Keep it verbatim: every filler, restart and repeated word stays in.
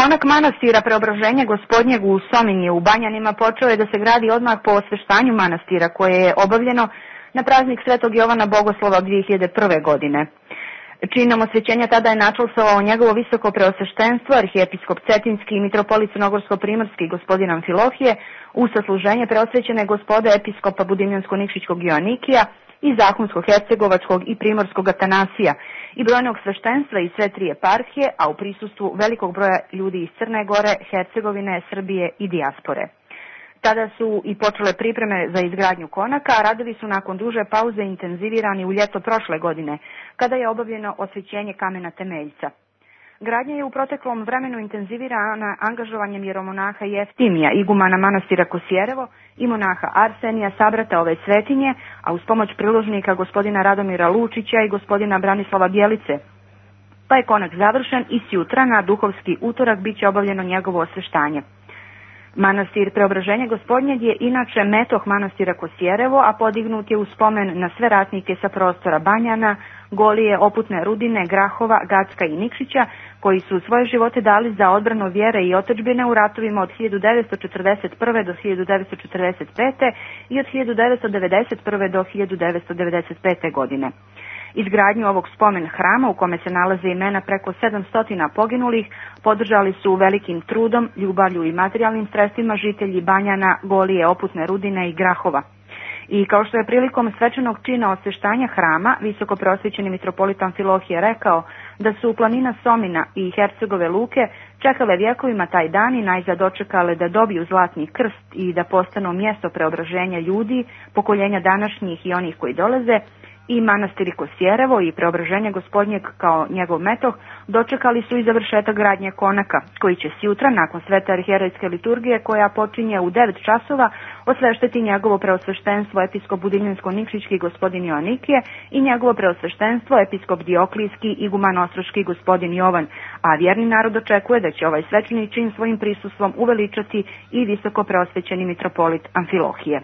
Konak manastira Preobraženja Gospodnjeg u Sominji u Banjanima počeo je da se gradi odmah po osveštanju manastira koje je obavljeno na praznik Svetog Jovana Bogoslova dvije hiljade prve. godine. Činom osvećenja tada je načalstvovao njegovo visoko preosveštenstvo, arhijepiskop Cetinski i mitropolit Crnogorsko-primorski gospodin Amfilohije, u sasluženje preosvećene gospode episkopa Budimljansko-Nikšićkog Joanikija i Zahumsko-Hercegovačkog i Primorskog Atanasija i brojnog sveštenstva iz sve tri eparhije, a u prisustvu velikog broja ljudi iz Crne Gore, Hercegovine, Srbije i dijaspore. Tada su i počele pripreme za izgradnju konaka, a radovi su nakon duže pauze intenzivirani u ljeto prošle godine, kada je obavljeno osvećenje kamena temeljca. Gradnja je u proteklom vremenu intenzivirana angažovanjem jeromonaha Jeftimija, igumana manastira Kosjerevo i monaha Arsenija, sabrata ove svetinje, a uz pomoć priložnika gospodina Radomira Lučića i gospodina Branislava Bjelice. Pa je konak završen i sjutra na duhovski utorak bit će obavljeno njegovo osveštanje. Manastir Preobraženja Gospodnjeg je inače metoh manastira Kosjerevo, a podignut je u spomen na sve ratnike sa prostora Banjana, Golije, Oputne Rudine, Grahova, Gacka i Nikšića, koji su svoje živote dali za odbranu vjere i otadžbine u ratovima od hiljadu devetsto četrdeset prve. do hiljadu devetsto četrdeset pete. i od hiljadu devetsto devedeset prve. do hiljadu devetsto devedeset pete. godine. Izgradnju ovog spomen hrama, u kome se nalaze imena preko sedamsto poginulih, podržali su velikim trudom, ljubavlju i materijalnim sredstvima žitelji Banjana, Golije, Oputne Rudine i Grahova. I kao što je prilikom svečanog čina osveštanja hrama, visoko preosvećeni mitropolit Amfilohije rekao da su planina Somina i Hercegove luke čekale vjekovima taj dan i najzad dočekale da dobiju zlatni krst i da postanu mjesto preobraženja ljudi, pokoljenja današnjih i onih koji dolaze, i manastiri Kosjerevo i Preobraženja Gospodnjeg kao njegov metoh dočekali su i završetak gradnje konaka, koji će sjutra, nakon svete arhijerejske liturgije koja počinje u devet časova, osveštiti njegovo preosveštenstvo episkop Budimljansko-Nikšićki gospodin Joanikije i njegovo preosveštenstvo episkop Dioklijski iguman Ostroški gospodin Jovan, a vjerni narod očekuje da će ovaj svečani čin svojim prisustvom uveličati i visoko preosvećeni mitropolit Amfilohije.